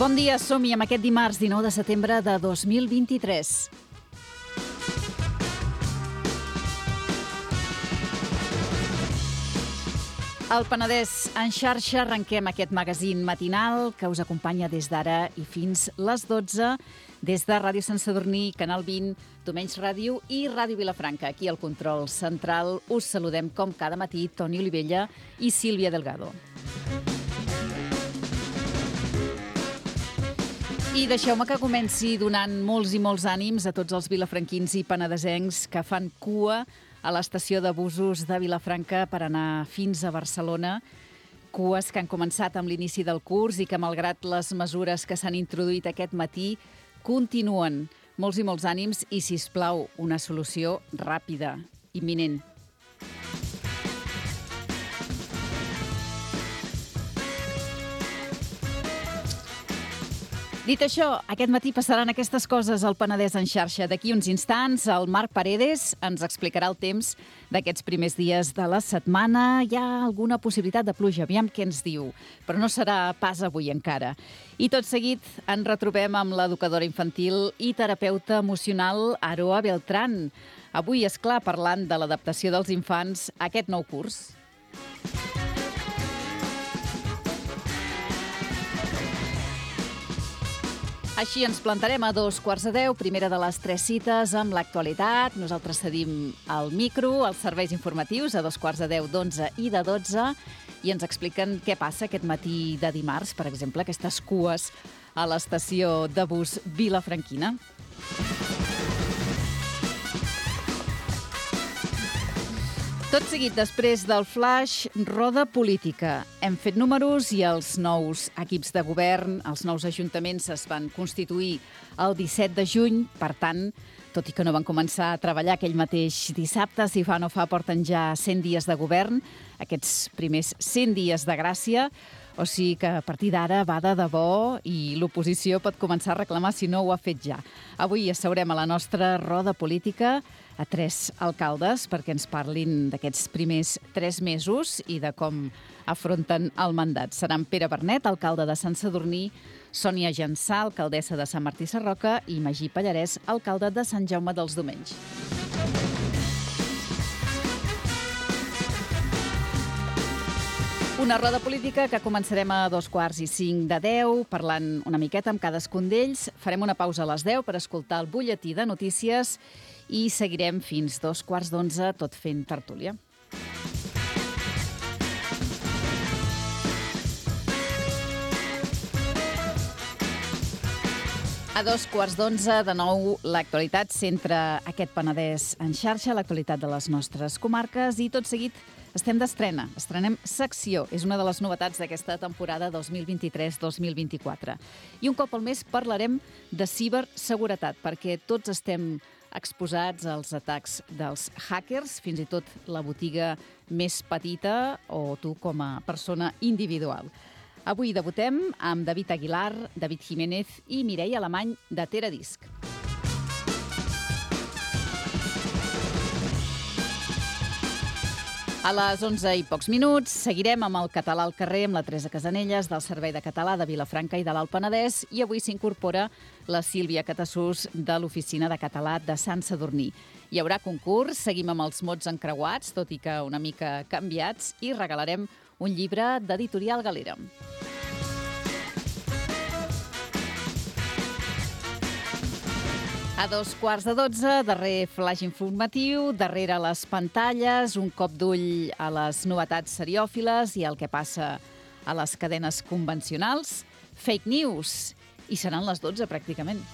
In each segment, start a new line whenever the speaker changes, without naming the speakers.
Bon dia, som-hi amb aquest dimarts 19 de setembre de 2023. Al Penedès en xarxa arrenquem aquest magazín matinal que us acompanya des d'ara i fins les 12 des de Ràdio Sant Sadurní, Canal 20, Domenys Ràdio i Ràdio Vilafranca. Aquí al control central us saludem com cada matí Toni Olivella i Sílvia Delgado. I deixeu-me que comenci donant molts i molts ànims a tots els vilafranquins i penedesencs que fan cua a l'estació de busos de Vilafranca per anar fins a Barcelona. Cues que han començat amb l'inici del curs i que, malgrat les mesures que s'han introduït aquest matí, continuen. Molts i molts ànims i, sisplau, una solució ràpida, imminent. Dit això, aquest matí passaran aquestes coses al Penedès en xarxa. D'aquí uns instants, el Marc Paredes ens explicarà el temps d'aquests primers dies de la setmana. Hi ha alguna possibilitat de pluja, aviam què ens diu, però no serà pas avui encara. I tot seguit ens retrobem amb l'educadora infantil i terapeuta emocional Aroa Beltrán. Avui, és clar, parlant de l'adaptació dels infants a aquest nou curs. Així ens plantarem a 9:45, primera de les 3 cites amb l'actualitat. Nosaltres cedim el micro, els serveis informatius a 9:10, d'11 i de 12 i ens expliquen què passa aquest matí de dimarts, per exemple, aquestes cues a l'estació de bus vilafranquina. Tot seguit, després del flash, roda política. Hem fet números i els nous equips de govern, els nous ajuntaments es van constituir el 17 de juny. Per tant, tot i que no van començar a treballar aquell mateix dissabte, si fa no fa, porten ja 100 dies de govern, aquests primers 100 dies de gràcia. O sigui que a partir d'ara va de debò i l'oposició pot començar a reclamar si no ho ha fet ja. Avui asseurem a la nostra roda política a 3 alcaldes perquè ens parlin d'aquests primers 3 mesos i de com afronten el mandat. Seran Pere Bernet, alcalde de Sant Sadurní, Sònia Jansà, alcaldessa de Sant Martí Sarroca i Magí Pallarès, alcalde de Sant Jaume dels Domenys. Una roda política que començarem a 9:45, parlant una miqueta amb cadascun d'ells. Farem una pausa a les 10 per escoltar el butlletí de notícies i seguirem fins 9:15, tot fent tertúlia. A 9:15, de nou, l'actualitat centra aquest Penedès en xarxa, l'actualitat de les nostres comarques i tot seguit estem d'estrena. Estrenem secció. És una de les novetats d'aquesta temporada 2023-2024. I un cop al mes parlarem de ciberseguretat, perquè tots estem exposats als atacs dels hackers, fins i tot la botiga més petita o tu com a persona individual. Avui debutem amb David Aguilar, David Jiménez i Mireia Alemany de Teradisc. A les 11 i pocs minuts seguirem amb el Català al carrer amb la Teresa Casanelles del Servei de Català de Vilafranca i de l'Alt Penedès i avui s'incorpora la Sílvia Catassús de l'Oficina de Català de Sant Sadurní. Hi haurà concurs, seguim amb els mots encreuats, tot i que una mica canviats, i regalarem un llibre d'Editorial Galera. A 9:15, darrer flash informatiu, darrere les pantalles, un cop d'ull a les novetats seriòfiles i al que passa a les cadenes convencionals. Fake news. I seran les 12, pràcticament.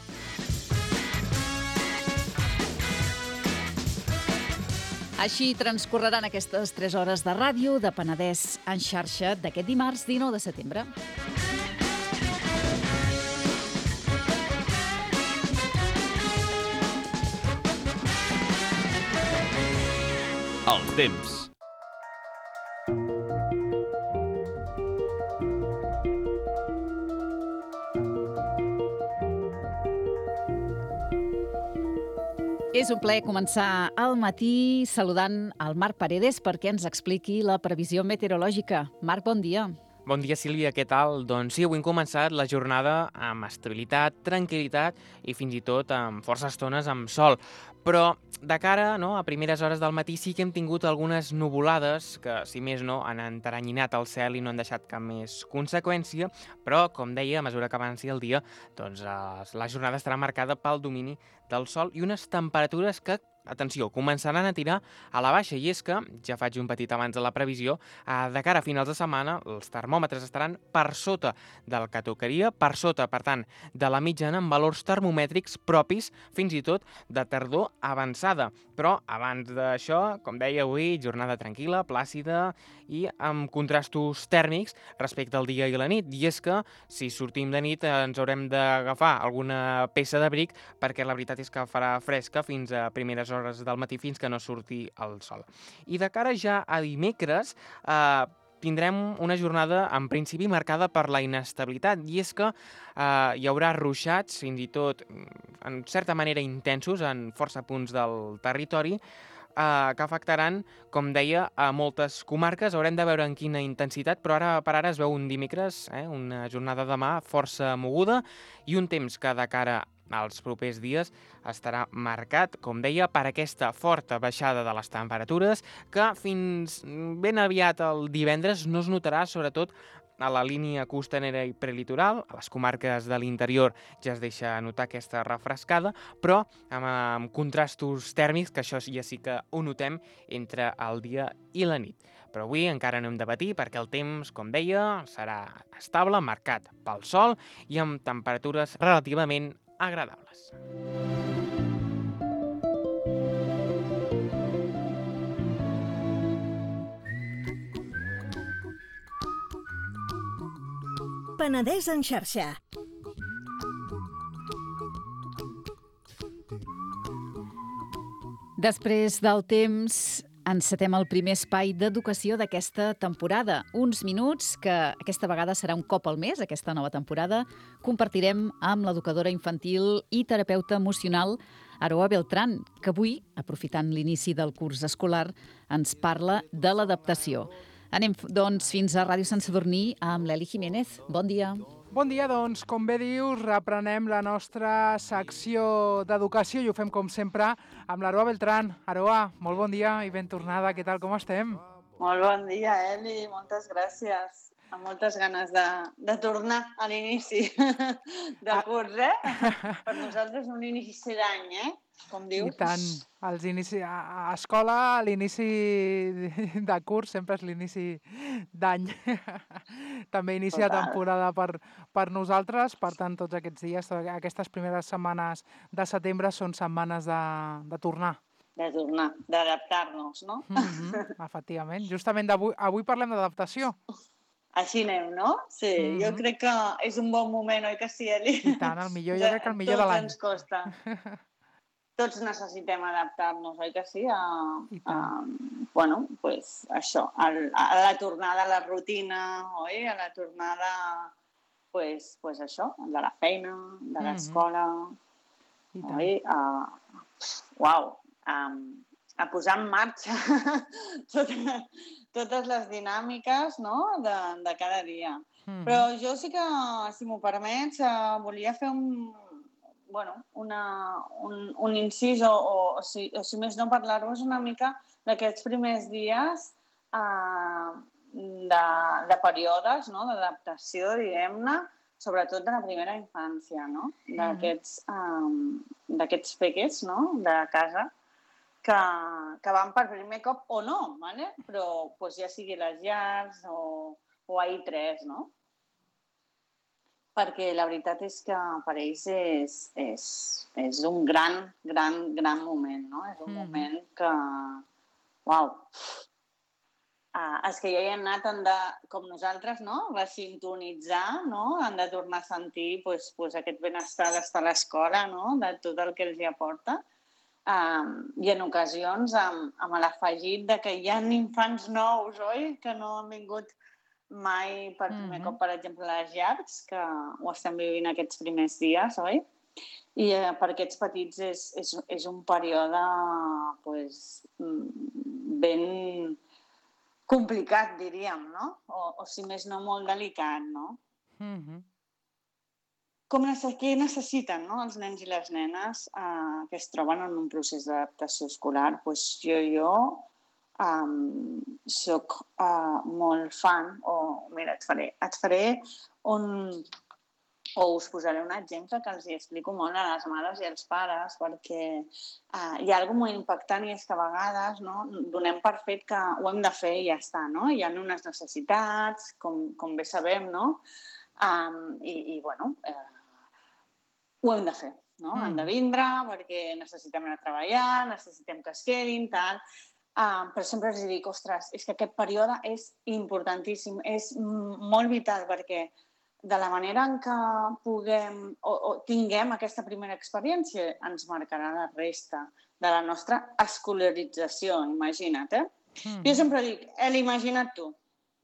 Així transcorreran aquestes 3 hores de ràdio de Penedès en xarxa d'aquest dimarts 19 de setembre.
El temps.
És un plaer començar al matí saludant el Marc Paredes perquè ens expliqui la previsió meteorològica. Marc, bon dia.
Bon dia, Sílvia, què tal? Doncs sí, avui hem començat la jornada amb estabilitat, tranquil·litat i fins i tot amb força estones amb sol. Però de cara a primeres hores del matí sí que hem tingut algunes nuvolades que, si més no, han enteranyinat el cel i no han deixat cap més conseqüència, però, com deia, a mesura que avanci el dia, doncs la jornada estarà marcada pel domini del sol i unes temperatures que, atenció, començaran a tirar a la baixa, i és que, ja faig un petit abans de la previsió, de cara a finals de setmana els termòmetres estaran per sota del que tocaria, per sota, per tant, de la mitjana amb valors termomètrics propis fins i tot de tardor avançada. Però abans d'això, com deia avui, jornada tranquil·la, plàcida i amb contrastos tèrmics respecte al dia i la nit. I és que si sortim de nit ens haurem d'agafar alguna peça d'abric perquè la veritat és que farà fresca fins a primeres hores del matí fins que no surti el sol. I de cara ja a dimecres tindrem una jornada en principi marcada per la inestabilitat, i és que hi haurà ruixats, fins i tot en certa manera intensos en força punts del territori, que afectaran, com deia, a moltes comarques. Haurem de veure en quina intensitat, però ara per ara es veu un dimecres, una jornada demà força moguda i un temps que de cara als propers dies estarà marcat, com deia, per aquesta forta baixada de les temperatures que fins ben aviat el divendres no es notarà, sobretot a la línia costanera i prelitoral. A les comarques de l'interior ja es deixa notar aquesta refrescada, però amb contrastos tèrmics, que això ja sí que ho notem entre el dia i la nit. Però avui encara no hem de patir perquè el temps, com deia, serà estable, marcat pel sol i amb temperatures relativament agradables.
Penedès en xarxa.
Després del temps, encetem el primer espai d'educació d'aquesta temporada. Uns minuts que aquesta vegada serà un cop al mes, aquesta nova temporada, compartirem amb l'educadora infantil i terapeuta emocional Aroa Beltrán, que avui, aprofitant l'inici del curs escolar, ens parla de l'adaptació. Anem, doncs, fins a Ràdio Sant Sadurní amb l'Eli Jiménez. Bon dia.
Bon dia, doncs, com bé dius, reprenem la nostra secció d'educació i ho fem, com sempre, amb l'Aroa Beltrán. Aroa, molt bon dia i ben tornada. Què tal, com estem?
Molt bon dia, Eli. Moltes gràcies. Amb moltes ganes de tornar a l'inici del curs, Per nosaltres un inici d'any, Com dius.
I tant. A escola, l'inici de curs sempre és l'inici d'any. També inici de temporada per nosaltres. Per tant, tots aquests dies, aquestes primeres setmanes de setembre són setmanes de tornar.
De tornar, d'adaptar-nos, no?
Efectivament. Justament avui parlem d'adaptació.
Així anem, no? Sí, jo crec que és un bon moment, oi que sí, Eli?
I tant, jo crec que el millor de l'any.
Tots ens costa. Tots necessitem adaptar-nos, oi que sí? Això, a la tornada a la rutina, oi? A la tornada, això, de la feina, de l'escola, oi? A posar en marxa totes les dinàmiques, no?, de cada dia. Però jo sí que, si m'ho permets, volia fer un incís o si més no, parlar-vos una mica d'aquests primers dies de períodes, no?, d'adaptació, diguem-ne, sobretot de la primera infància, no?, d'aquests peques, no?, de casa, que van per primer cop o no, ¿vale? Però ja sigui les llars o a I3, no? Perquè la veritat és que per ells és un gran moment, no? És un moment que, uau, els que ja hi han anat com nosaltres, no?, resintonitzar, no?, han de tornar a sentir aquest benestar d'estar a l'escola, no?, de tot el que els hi aporta. I en ocasions amb l'afegit de que hi ha infants nous, oi?, que no han vingut mai per primer cop, per exemple, a les llars, que ho estem vivint aquests primers dies, oi? I per aquests petits és un període ben complicat, diríem, no? O si més no, molt delicat, no? Què necessiten, no, els nens i les nenes que es troben en un procés d'adaptació escolar? Doncs jo soc molt fan, mira, et faré o us posaré un exemple que els hi explico molt a les mares i als pares, perquè hi ha alguna molt impactant i és que a vegades donem per fet que ho hem de fer i ja està, no? Hi ha unes necessitats, com bé sabem, no? I bueno, ho hem de fer, no? Han de vindre perquè necessitem anar a treballar, necessitem que es quedin, tal. Però sempre els dic, ostres, és que aquest període és importantíssim, és molt vital perquè de la manera en què puguem o tinguem aquesta primera experiència ens marcarà la resta de la nostra escolarització, imagina't, Jo sempre dic, imagina't tu,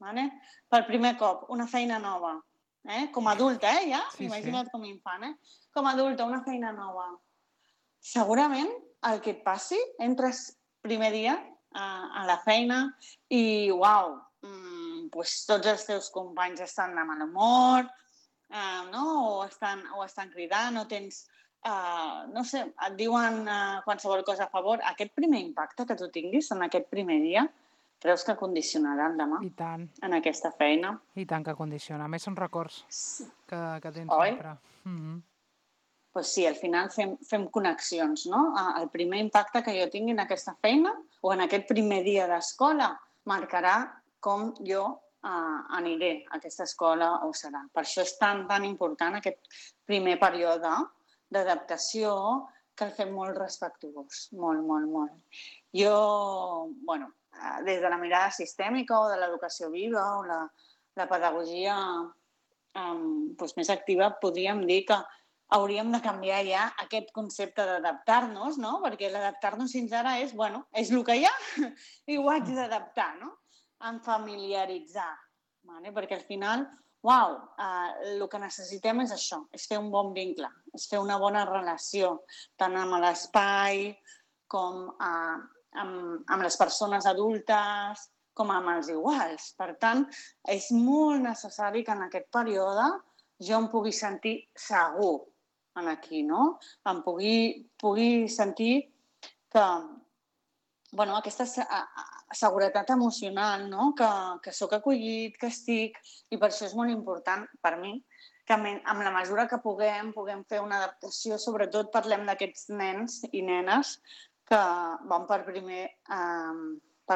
vale? Per primer cop, una feina nova, com a adulta, ja? Sí, imagina't com a infant, Com a adulta, una feina nova. Segurament el que et passi, entres primer dia a la feina i, uau, doncs tots els teus companys estan de mal humor, o estan cridant, o tens, no sé, et diuen qualsevol cosa a favor. Aquest primer impacte que tu tinguis en aquest primer dia, creus que condicionarà el demà?
I tant.
En aquesta feina?
I tant que condiciona. A més, són records que tens sempre.
Pues sí, al final fem connexions, no? El primer impacte que jo tingui en aquesta feina o en aquest primer dia d'escola marcarà com jo aniré a aquesta escola o serà. Per això és tan important aquest primer període d'adaptació que el fem molt respectuós, molt, molt, molt. Jo, bueno, des de la mirada sistèmica o de l'educació viva o la pedagogia més activa, podríem dir que hauríem de canviar ja aquest concepte d'adaptar-nos, no? Perquè l'adaptar-nos fins ara és, bueno, és el que hi ha i ho haig d'adaptar, no? En familiaritzar, perquè al final, el que necessitem és això, és fer un bon vincle, és fer una bona relació, tant amb l'espai com amb les persones adultes, com amb els iguals. Per tant, és molt necessari que en aquest període jo em pugui sentir segur aquí, no? Em pugui sentir que, bueno, aquesta seguretat emocional, no? Que sóc acollit, que estic, i per això és molt important per mi que en la mesura que puguem fer una adaptació, sobretot parlem d'aquests nens i nenes que van per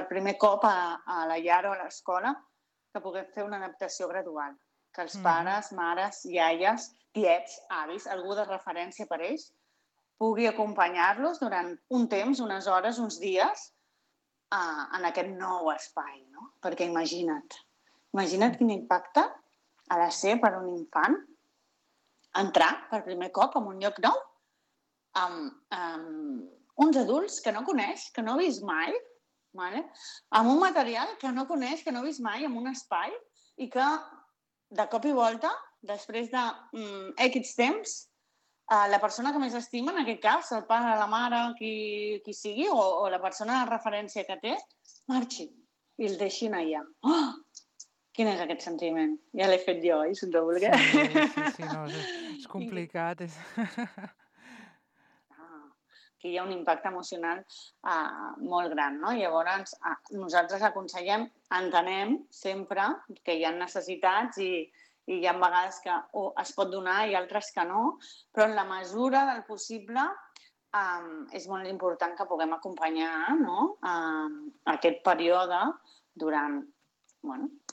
primer cop a la llar o a l'escola, que puguem fer una adaptació gradual, que els pares, mares, iaies, tiets, avis, algú de referència per ells, pugui acompanyar-los durant un temps, unes hores, uns dies, en aquest nou espai, no? Perquè imagina't quin impacte ha de ser per un infant entrar per primer cop en un lloc nou amb uns adults que no coneix, que no ha vist mai, amb un material que no coneix, que no ha vist mai, en un espai, i que de cop i volta, després de X temps, la persona que més estima, en aquest cas, el pare, la mare, qui sigui, o la persona de referència que té, marxi i el deixin allà. Oh! Quin és aquest sentiment? Ja l'he fet jo, si no voler.
Sí, no, és complicat.
Aquí hi ha un impacte emocional molt gran, no? Llavors, nosaltres aconsellem, entenem sempre que hi ha necessitats i hi ha vegades que es pot donar i altres que no, però en la mesura del possible és molt important que puguem acompanyar aquest període durant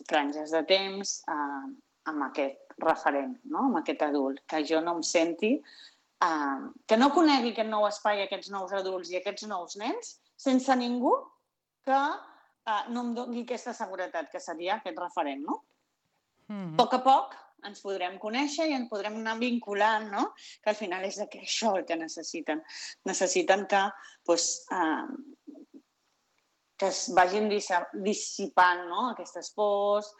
franges de temps amb aquest referent, amb aquest adult, que jo no em senti, que no conegui aquest nou espai, aquests nous adults i aquests nous nens, sense ningú que no em doni aquesta seguretat, que seria aquest referent, no? A poc ens podrem conèixer i ens podrem anar vinculant, no? Que al final és això el que necessiten. Necessiten que es vagin dissipant aquestes pors,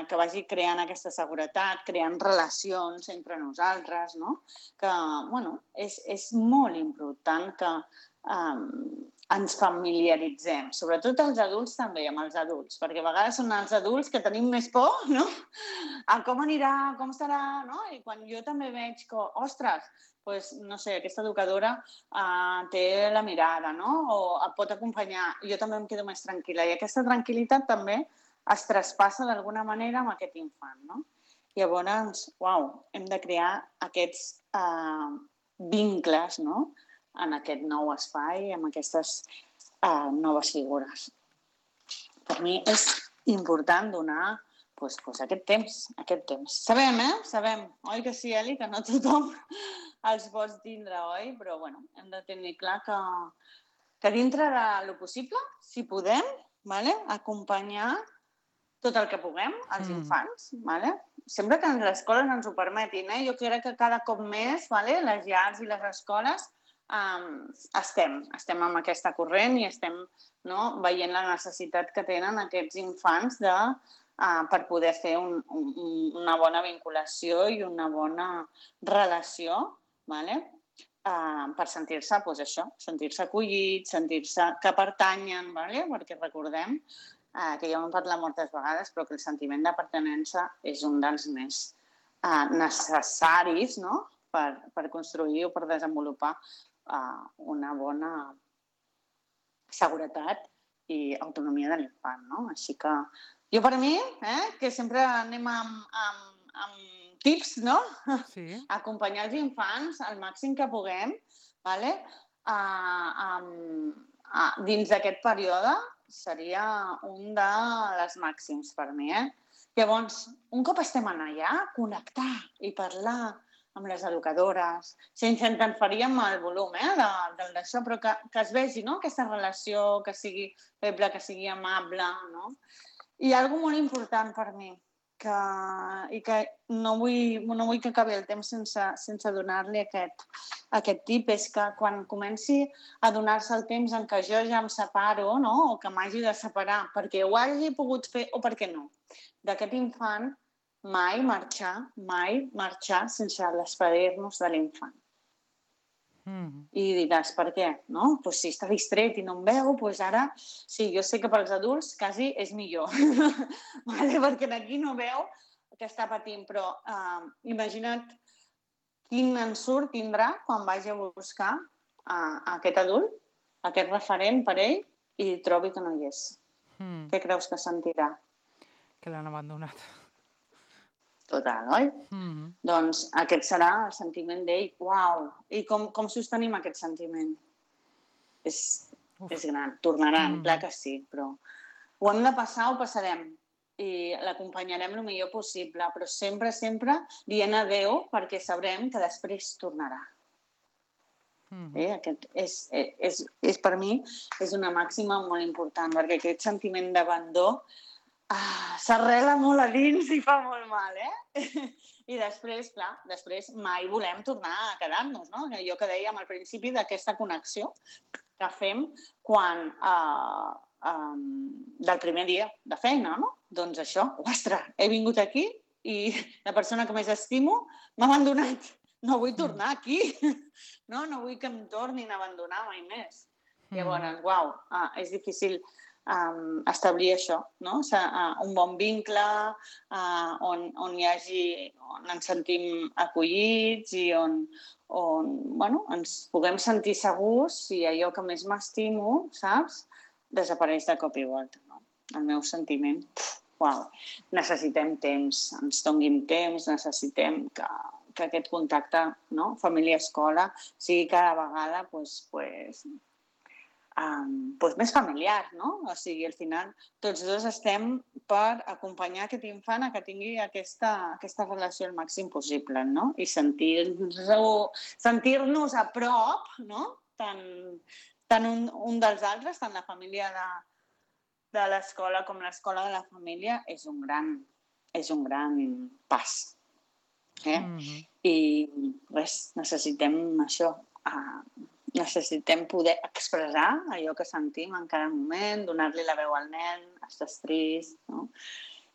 que vagi creant aquesta seguretat, creant relacions entre nosaltres, no? Que, és molt important que ens familiaritzem, sobretot els adults també, amb els adults, perquè a vegades són els adults que tenim més por, no? A com anirà, com serà, no? I quan jo també veig que, ostres, pues, no sé, aquesta educadora té la mirada, no? O et pot acompanyar, jo també em quedo més tranquil·la. I aquesta tranquil·litat també es traspassa d'alguna manera amb aquest infant, no? Llavors, uau, hem de crear aquests vincles, no?, en aquest nou espai, amb aquestes noves figures. Per mi és important donar aquest temps. Sabem, Sabem, oi que sí, Eli, que no tothom els pots tindre, oi? Però, bueno, hem de tenir clar que dintre de lo possible, si podem, acompanyar tot el que puguem als infants, sempre que les escoles ens ho permetin. Jo crec que cada cop més les llars i les escoles estem amb aquesta corrent i estem veient la necessitat que tenen aquests infants per poder fer una bona vinculació i una bona relació, per sentir-se, doncs això, sentir-se acollits, sentir-se que pertanyen, perquè recordem que ja ho hem parlat moltes vegades, però que el sentiment de pertinença és un dels més necessaris per construir o per desenvolupar una bona seguretat i autonomia de l'infant, no? Així que jo per mi, que sempre anem amb tips, no?
Sí.
Acompanyar els infants al màxim que puguem, dins d'aquest període seria un dels màxims per mi, Llavors, un cop estem allà, connectar i parlar amb les educadores, sense interferir amb el volum d'això, però que es vegi aquesta relació, que sigui feble, que sigui amable. I una cosa molt important per mi, i que no vull que acabi el temps sense donar-li aquest tip, és que quan comenci a donar-se el temps en què jo ja em separo, o que m'hagi de separar perquè ho hagi pogut fer o perquè no, d'aquest infant, mai marxar sense despedir-nos de l'infant. I diràs, per què? Doncs si està distret i no em veu, doncs ara, sí, jo sé que pels adults quasi és millor, perquè aquí no veu que està patint, però imagina't quin ensurt tindrà quan vagi a buscar aquest adult, aquest referent per ell, i trobi que no hi és. Què creus que sentirà?
Que l'han abandonat.
Total, oi? Doncs aquest serà el sentiment d'ell. Uau! I com sostenim aquest sentiment? És gran. Tornaran, clar que sí, però ho hem de passar, ho passarem. I l'acompanyarem el millor possible, però sempre dient adéu perquè sabrem que després tornarà. Aquest és per mi és una màxima molt important, perquè aquest sentiment d'abandó s'arrela molt a dins i fa molt mal, I després mai volem tornar a quedar-nos, no? Allò que dèiem al principi d'aquesta connexió que fem quan del primer dia de feina, no? Doncs això, ostres, he vingut aquí i la persona que més estimo m'ha abandonat. No vull tornar aquí, no vull que em tornin a abandonar mai més. Llavors, uau, és difícil establir això, un bon vincle on ens sentim acollits i on ens puguem sentir segurs i allò que més m'estimo, saps, desapareix de cop i volta. El meu sentiment, uau, necessitem temps, ens donguin temps, necessitem que aquest contacte família-escola sigui cada vegada més familiar, no? O sigui, al final, tots dos estem per acompanyar aquest infant a que tingui aquesta relació el màxim possible, no? I sentir-nos a prop, no? Tant un dels altres, tant la família de l'escola com l'escola de la família, és un gran pas. I res, necessitem això, necessitem poder expressar allò que sentim en cada moment, donar-li la veu al nen, estàs trist, no?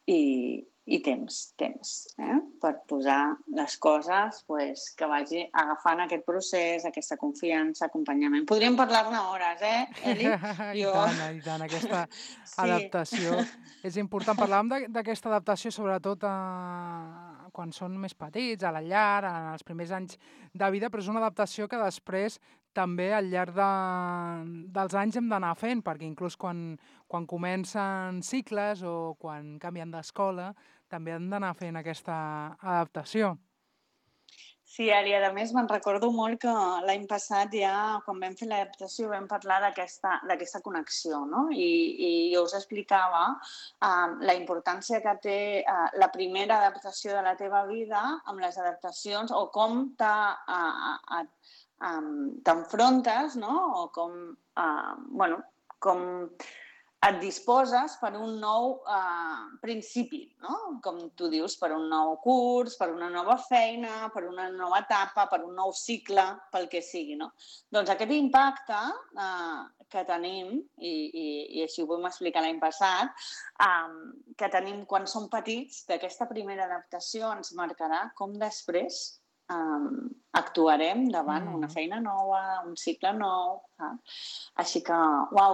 I i temps per posar les coses que vagi agafant aquest procés, aquesta confiança, acompanyament. Podríem parlar-ne hores, Eli?
I tant, aquesta adaptació és important. Parlàvem d'aquesta adaptació sobretot quan són més petits, a la llar, en els primers anys de vida, però és una adaptació que després també al llarg dels anys hem d'anar fent, perquè inclús quan comencen cicles o quan canvien d'escola, també hem d'anar fent aquesta adaptació.
Sí, Eli, a més me'n recordo molt que l'any passat ja, quan vam fer l'adaptació, vam parlar d'aquesta connexió, no? I jo us explicava la importància que té la primera adaptació de la teva vida amb les adaptacions o com t'enfrontes, no? O com et disposes per un nou principi, no? Com tu dius, per un nou curs, per una nova feina, per una nova etapa, per un nou cicle, pel que sigui, no? Doncs aquest impacte que tenim, i així ho vam explicar l'any passat, que tenim quan som petits, d'aquesta primera adaptació ens marcarà com després actuarem davant una feina nova, un cicle nou. Així que,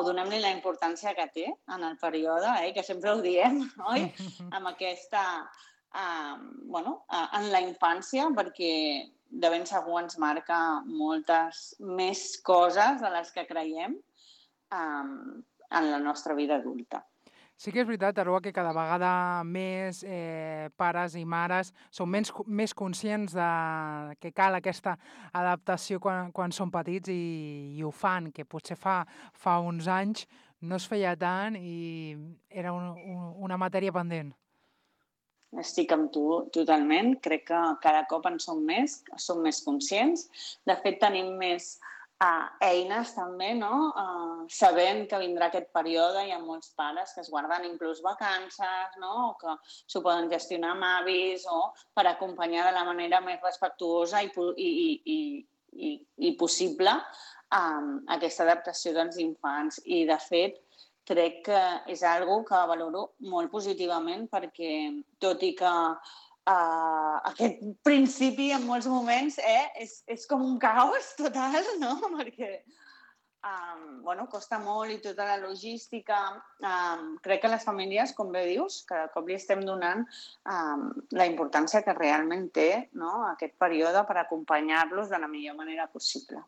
donem-li la importància que té en el període, que sempre ho diem, oi? Amb aquesta, en la infància, perquè de ben segur ens marca moltes més coses de les que creiem en la nostra vida adulta.
Sí que és veritat, Aroa, que cada vegada més pares i mares són més conscients que cal aquesta adaptació quan són petits i ho fan, que potser fa uns anys no es feia tant i era una matèria pendent.
Estic amb tu totalment. Crec que cada cop en som més conscients. De fet, tenim més eines també, no? Sabent que vindrà aquest període, hi ha molts pares que es guarden inclús vacances, no? O que s'ho poden gestionar amb avis o per acompanyar de la manera més respectuosa i possible aquesta adaptació dels infants. I, de fet, crec que és una cosa que valoro molt positivament perquè, tot i que aquest principi en molts moments és com un caos total, no? Perquè costa molt i tota la logística. Crec que les famílies, com bé dius, cada cop li estem donant la importància que realment té, no? Aquest període per acompanyar-los de la millor manera possible.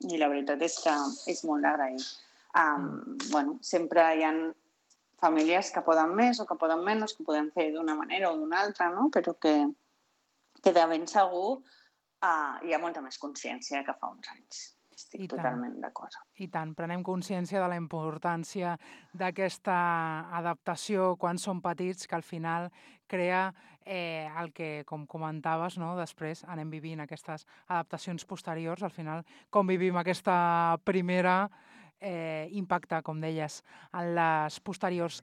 I la veritat és que és molt d'agrair. Sempre hi ha famílies que poden més o que poden menys, que poden fer d'una manera o d'una altra, no? Però que de ben segur hi ha molta més consciència que fa uns anys. Estic totalment d'acord.
I tant, prenem consciència de la importància d'aquesta adaptació quan som petits, que al final crea el que, com comentaves, no? Després anem vivint aquestes adaptacions posteriors, al final com vivim aquesta primera impacte, com deies, en les posteriors.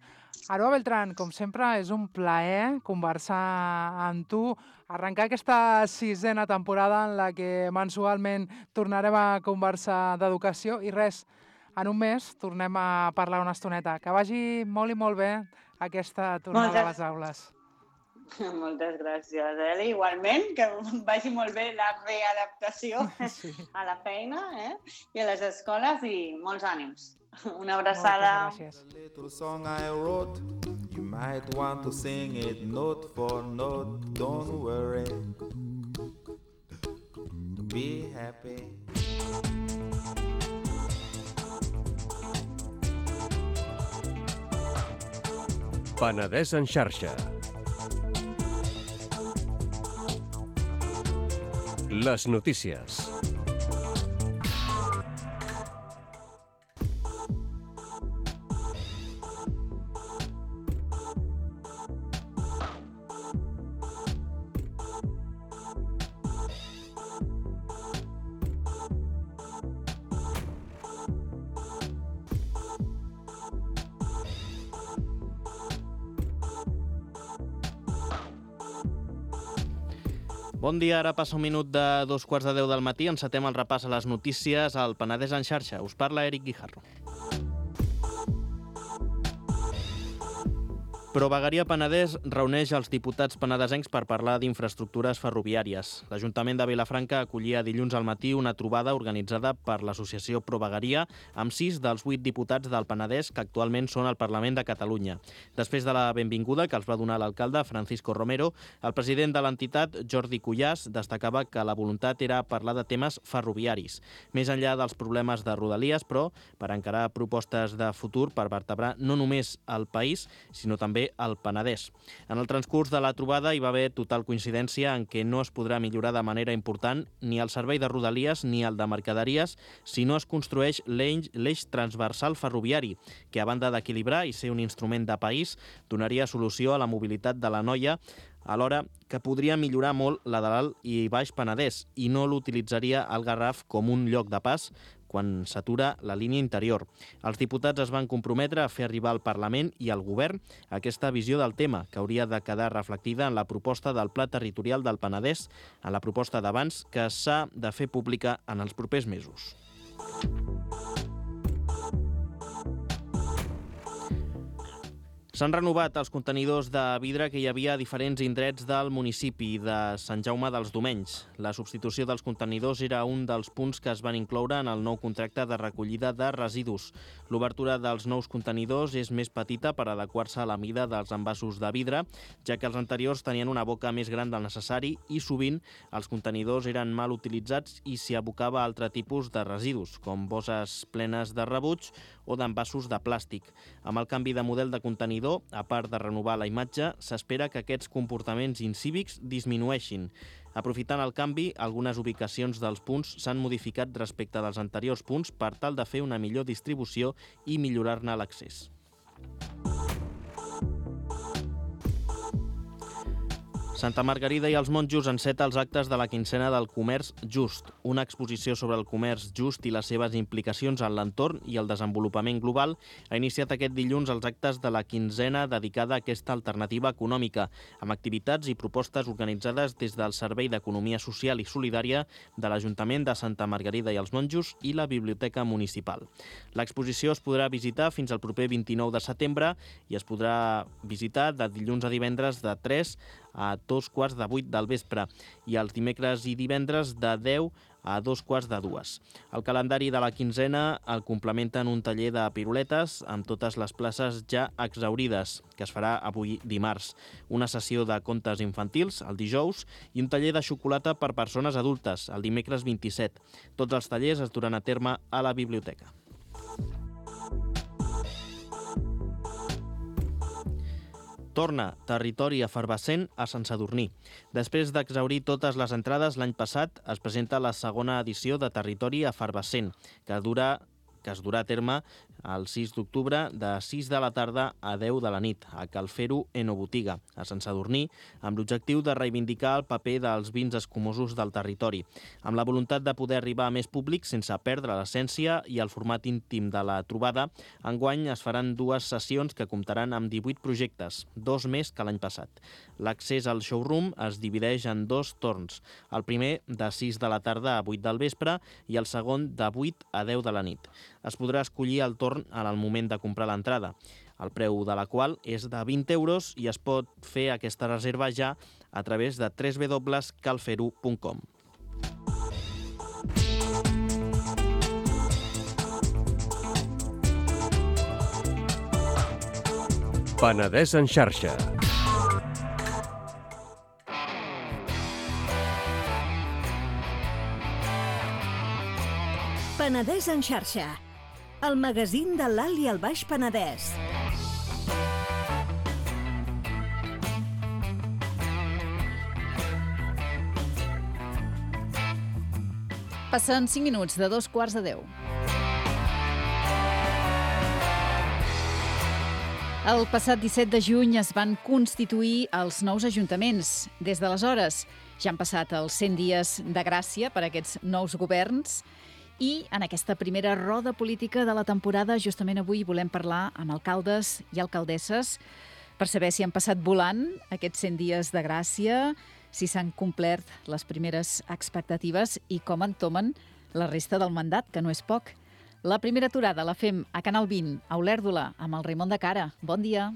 Aroa Beltrán, com sempre, és un plaer conversar amb tu, arrencar aquesta 6a temporada en la que mensualment tornarem a conversar d'educació i res, en un mes tornem a parlar una estoneta. Que vagi molt i molt bé aquesta tornada a les aules.
Moltes gràcies, Eli. Igualment, que vagi molt bé la readaptació a la feina i a les escoles i molts ànims. Una abraçada.
Moltes gràcies.
Little song I wrote, you might want to sing it note for note, don't worry, be happy.
Penedès en xarxa. Les notícies.
Bon dia, ara passa un minut de 2:15 del matí. Encetem el repàs a les notícies al Penedès en xarxa. Us parla Eric Guijarro. Provegaria Penedès reuneix els diputats penedesencs per parlar d'infraestructures ferroviàries. L'Ajuntament de Vilafranca acollia dilluns al matí una trobada organitzada per l'associació Provegaria amb 6 dels 8 diputats del Penedès que actualment són al Parlament de Catalunya. Després de la benvinguda que els va donar l'alcalde Francisco Romero, el president de l'entitat, Jordi Cuyàs, destacava que la voluntat era parlar de temes ferroviaris, més enllà dels problemes de Rodalies, però per encarar propostes de futur per vertebrar no només el país, sinó també al Penedès. En el transcurs de la trobada hi va haver total coincidència en què no es podrà millorar de manera important ni el servei de Rodalies ni el de mercaderies si no es construeix l'eix transversal ferroviari, que a banda d'equilibrar i ser un instrument de país, donaria solució a la mobilitat de l'Anoia, alhora que podria millorar molt la de l'Alt i Baix Penedès i no l'utilitzaria el Garraf com un lloc de pas quan s'atura la línia interior. Els diputats es van comprometre a fer arribar al Parlament i al Govern aquesta visió del tema, que hauria de quedar reflectida en la proposta del Pla Territorial del Penedès, en la proposta d'abans que s'ha de fer pública en els propers mesos. S'han renovat els contenidors de vidre que hi havia a diferents indrets del municipi de Sant Jaume dels Domenys. La substitució dels contenidors era un dels punts que es van incloure en el nou contracte de recollida de residus. L'obertura dels nous contenidors és més petita per adequar-se a la mida dels envasos de vidre, ja que els anteriors tenien una boca més gran del necessari i sovint els contenidors eren mal utilitzats i s'hi abocava altre tipus de residus, com bosses plenes de rebuig o d'envasos de plàstic. Amb el canvi de model de contenidor, a part de renovar la imatge, s'espera que aquests comportaments incívics disminueixin. Aprofitant el canvi, algunes ubicacions dels punts s'han modificat respecte dels anteriors punts per tal de fer una millor distribució i millorar-ne l'accés. Santa Margarida i els Monjos enceta els actes de la quincena del comerç just, una exposició sobre el comerç just i les seves implicacions en l'entorn i el desenvolupament global ha iniciat aquest dilluns els actes de la quinzena dedicada a aquesta alternativa econòmica, amb activitats i propostes organitzades des del Servei d'Economia Social i Solidària de l'Ajuntament de Santa Margarida i els Monjos i la Biblioteca Municipal. L'exposició es podrà visitar fins al proper 29 de setembre i es podrà visitar de dilluns a divendres de 3 a 2:15 del vespre i els dimecres i divendres de 10 a 2:15. El calendari de la quinzena el complementen un taller de piruletes amb totes les places ja exhaurides, que es farà avui dimarts, una sessió de contes infantils el dijous i un taller de xocolata per persones adultes el dimecres 27. Tots els tallers es duran a terme a la biblioteca. Torna Territori Efervescent a Sant Sadurní. Després d'exhaurir totes les entrades l'any passat, es presenta la segona edició de Territori Efervescent, que es durà a terme el 6 d'octubre de 6 de la tarda a 10 de la nit, a Cal Fer-ho Enobotiga, a Sant Sadurní, amb l'objectiu de reivindicar el paper dels vins escumosos del territori, amb la voluntat de poder arribar a més públic sense perdre l'essència i el format íntim de la trobada. Enguany es faran 2 sessions que comptaran amb 18 projectes, 2 més que l'any passat. L'accés al showroom es divideix en 2 torns, el primer de 6 de la tarda a 8 del vespre i el segon de 8 a 10 de la nit. Es podrà escollir el torn en el moment de comprar l'entrada, el preu de la qual és de 20 euros i es pot fer aquesta reserva ja a través de www.calferho.com.
Penedès en xarxa.
Penedès en xarxa, el magazín de l'Alt i el Baix Penedès.
Passen 5 minuts de 2:15. El passat 17 de juny es van constituir els nous ajuntaments. Des d'aleshores ja han passat els 100 dies de gràcia per a aquests nous governs i en aquesta primera roda política de la temporada justament avui volem parlar amb alcaldes i alcaldesses per saber si han passat volant aquests 100 dies de gràcia, si s'han complert les primeres expectatives i com entomen la resta del mandat, que no és poc. La primera aturada la fem a Canal 20, a Olèrdola, amb el Raimon de Cara. Bon dia.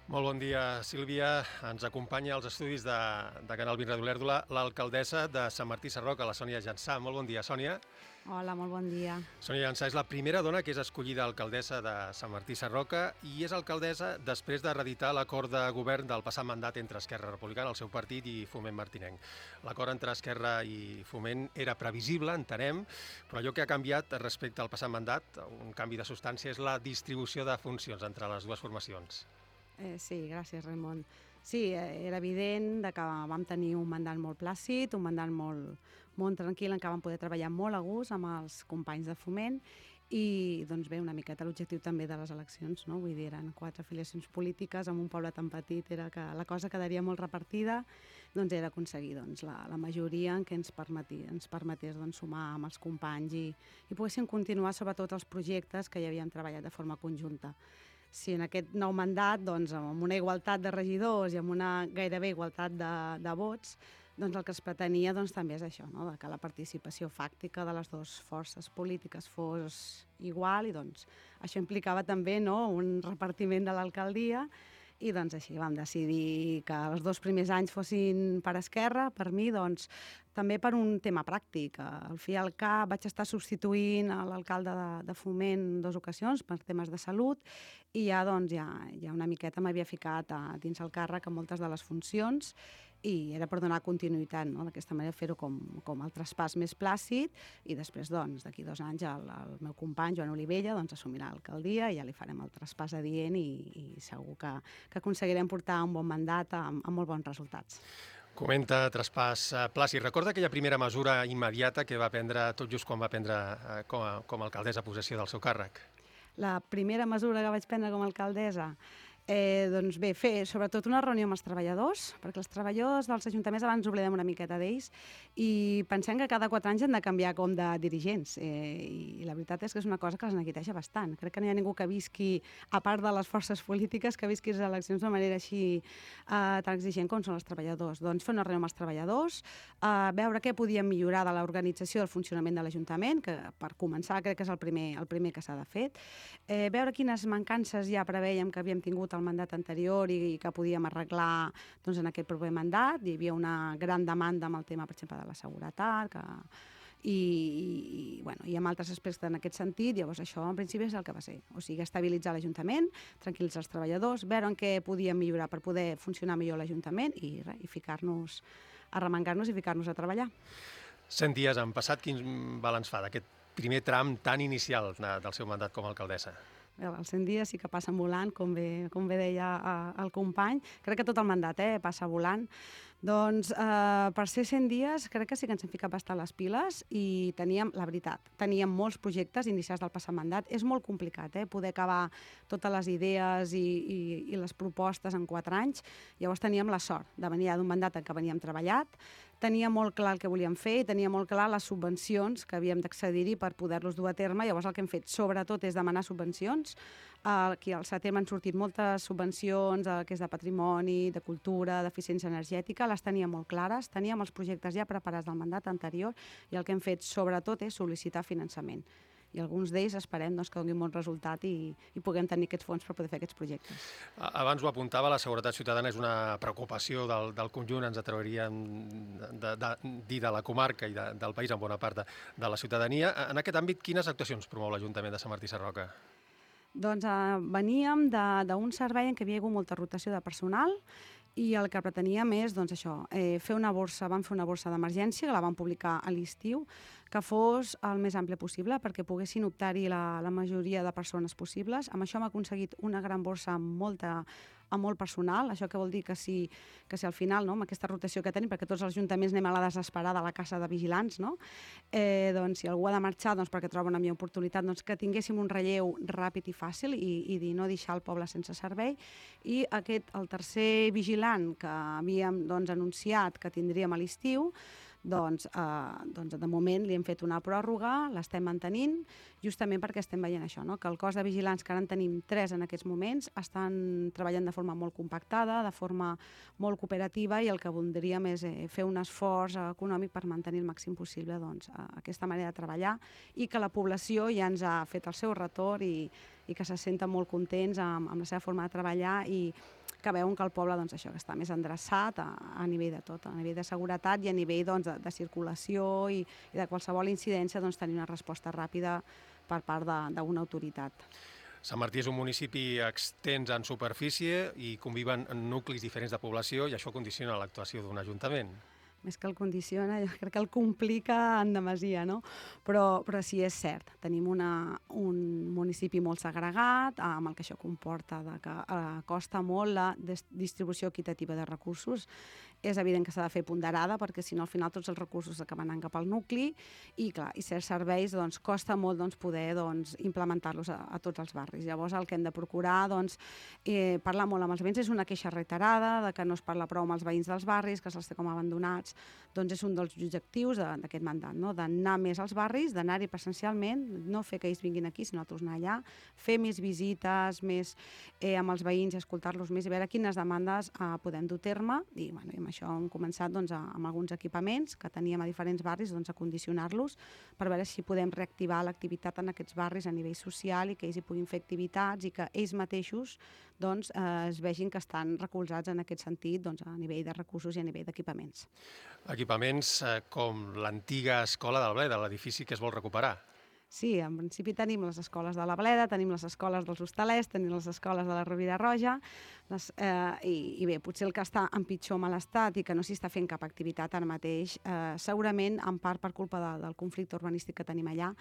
Molt bon dia, Sílvia. Ens acompanya als estudis de Canal Vint Ràdio Olèrdola l'alcaldessa de Sant Martí Sarroca, la Sònia Jansà. Molt bon dia, Sònia.
Hola, molt bon dia.
Sònia Jansà és la primera dona que és escollida alcaldessa de Sant Martí Sarroca i és alcaldessa després de reeditar l'acord de govern del passat mandat entre Esquerra Republicana, el seu partit, i Foment Martinenc. L'acord entre Esquerra i Foment era previsible, entenem, però allò que ha canviat respecte al passat mandat, un canvi de substància, és la distribució de funcions entre les dues formacions.
Sí, gràcies, Raimon. Sí, era evident que vam tenir un mandat molt plàcid, un mandat molt tranquil, en què vam poder treballar molt a gust amb els companys de Foment i, doncs bé, una miqueta l'objectiu també de les eleccions, no? Vull dir, eren 4 afiliacions polítiques en un poble tan petit, era que la cosa quedaria molt repartida, doncs era aconseguir la majoria en què ens permetés sumar amb els companys i poguéssim continuar sobretot els projectes que ja havíem treballat de forma conjunta. Si en aquest nou mandat, amb una igualtat de regidors i amb una gairebé igualtat de vots, doncs el que es pretenia també és això, no? Que la participació fàctica de les dues forces polítiques fos igual i això implicava també un repartiment de l'alcaldia i així vam decidir que els 2 primers anys fossin per Esquerra, per mi, també per un tema pràctic. Al fi i al cap vaig estar substituint l'alcalde de Foment 2 ocasions per temes de salut i ja una miqueta m'havia ficat dins el càrrec en moltes de les funcions i era per donar continuïtat, no? D'aquesta manera fer-ho com el traspàs més plàcid i després, d'aquí 2 anys, el meu company, Joan Olivella, assumirà l'alcaldia i ja li farem el traspàs adient i segur que aconseguirem portar un bon mandat amb molt bons resultats.
Comenta traspàs plàcid. Recorda aquella primera mesura immediata que va prendre tot just quan va prendre com a alcaldessa possessió del seu càrrec?
La primera mesura que vaig prendre com a alcaldessa fer sobretot una reunió amb els treballadors, perquè els treballadors dels ajuntaments abans oblidem una miqueta d'ells i pensem que cada 4 anys han de canviar com de dirigents i la veritat és que és una cosa que els neguiteja bastant. Crec que no hi ha ningú que visqui, a part de les forces polítiques, que visqui les eleccions de manera així tan exigent com són els treballadors. Fer una reunió amb els treballadors, veure què podíem millorar de l'organització del funcionament de l'Ajuntament, que per començar crec que és el primer que s'ha de fer, veure quines mancances ja preveiem que havíem tingut el mandat anterior i que podíem arreglar en aquest proper mandat. Hi havia una gran demanda amb el tema, per exemple, de la seguretat i amb altres aspectes en aquest sentit. Llavors això en principi és el que va ser. O sigui, estabilitzar l'Ajuntament, tranquil·litzar els treballadors, veure en què podíem millorar per poder funcionar millor l'Ajuntament i ficar-nos, arremangar-nos i ficar-nos a treballar.
100 dies han passat. Quin balanç fa d'aquest primer tram tan inicial del seu mandat com a alcaldessa?
Els 100 dies sí que passen volant, com bé deia el company. Crec que tot el mandat passa volant. Per ser 100 dies crec que sí que ens hem ficat bastant les piles i teníem molts projectes iniciats del passat mandat. És molt complicat poder acabar totes les idees i les propostes en 4 anys. Llavors teníem la sort de venir d'un mandat en què veníem treballat, tenia molt clar el que volíem fer i tenia molt clar les subvencions que havíem d'accedir-hi per poder-los dur a terme. Llavors el que hem fet sobretot és demanar subvencions. Aquí al setembre han sortit moltes subvencions que és de patrimoni, de cultura, d'eficiència energètica, les teníem molt clares, teníem els projectes ja preparats del mandat anterior i el que hem fet sobretot és sol·licitar finançament. I alguns d'ells esperem que donin bon resultat i puguem tenir aquests fons per poder fer aquests projectes.
Abans ho apuntava, la seguretat ciutadana és una preocupació del conjunt, ens atreviríem dir de la comarca i del país en bona part de la ciutadania. En aquest àmbit, quines actuacions promou l'Ajuntament de Sant Martí Sarroca?
Veníem d'un servei en què hi havia hagut molta rotació de personal i el que preteníem és fer una borsa, vam fer una borsa d'emergència que la vam publicar a l'estiu, que fos el més àmplia possible perquè poguessin optar-hi la majoria de persones possibles. Amb això hem aconseguit una gran borsa amb molt personal, això que vol dir que si al final, amb aquesta rotació que tenim, perquè tots els ajuntaments anem a la desesperada a la casa de vigilants, si algú ha de marxar perquè troba una millor oportunitat, que tinguéssim un relleu ràpid i fàcil i no deixar el poble sense servei. I el tercer vigilant que havíem anunciat que tindríem a l'estiu, de moment li hem fet una pròrroga, l'estem mantenint, justament perquè estem veient això, que el cos de vigilants, que ara en tenim 3 en aquests moments, estan treballant de forma molt compactada, de forma molt cooperativa i el que voldríem és fer un esforç econòmic per mantenir el màxim possible aquesta manera de treballar i que la població ja ens ha fet el seu retorn i que se senten molt contents amb la seva forma de treballar i que veuen que el poble doncs, això que està més endreçat a nivell de tot, a nivell de seguretat i a nivell doncs, de circulació i de qualsevol incidència doncs, tenir una resposta ràpida per part d'una autoritat.
Sant Martí és un municipi extens en superfície i conviven en nuclis diferents de població i això condiciona l'actuació d'un ajuntament.
Més que el condiciona, jo crec que el complica en demasia, no? Però sí, és cert, tenim un municipi molt segregat, amb el que això comporta que costa molt la distribució equitativa de recursos. És evident que s'ha de fer ponderada, perquè si no al final tots els recursos acaben anant cap al nucli i, clar, i certs serveis doncs, costa molt poder implementar-los a tots els barris. Llavors el que hem de procurar parlar molt amb els veïns, és una queixa reiterada de que no es parla prou amb els veïns dels barris, que se'ls té com abandonats, doncs és un dels objectius d'aquest mandat, no? D'anar més als barris, d'anar-hi presencialment, no fer que ells vinguin aquí, sinó nosaltres anar allà, fer més visites, més amb els veïns i escoltar-los més i veure quines demandes podem dur a terme i amb això hem començat amb alguns equipaments que teníem a diferents barris a condicionar-los per veure si podem reactivar l'activitat en aquests barris a nivell social i que ells hi puguin fer activitats i que ells mateixos es vegin que estan recolzats en aquest sentit a nivell de recursos i a nivell d'equipaments.
Equipaments com l'antiga escola del Bleda, l'edifici que es vol recuperar.
Sí, en principi tenim les escoles de la Bleda, tenim les escoles dels Hostalers, tenim les escoles de la Rovira Roja, i bé, potser el que està en pitjor mal estat i que no s'hi està fent cap activitat ara mateix, segurament en part per culpa del conflicte urbanístic que tenim allà,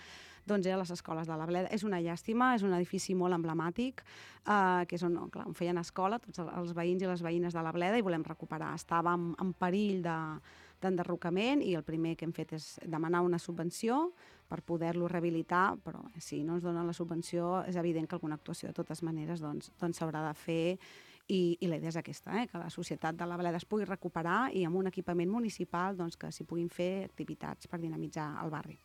doncs eren les escoles de la Bleda. És una llàstima, és un edifici molt emblemàtic, que és on feien escola tots els veïns i les veïnes de la Bleda i volem recuperar. Estava en perill d'enderrocament i el primer que hem fet és demanar una subvenció per poder-lo rehabilitar, però si no ens donen la subvenció és evident que alguna actuació de totes maneres s'haurà de fer i la idea és aquesta, que la societat de la Bleda es pugui recuperar i amb un equipament municipal que s'hi puguin fer activitats per dinamitzar el barri.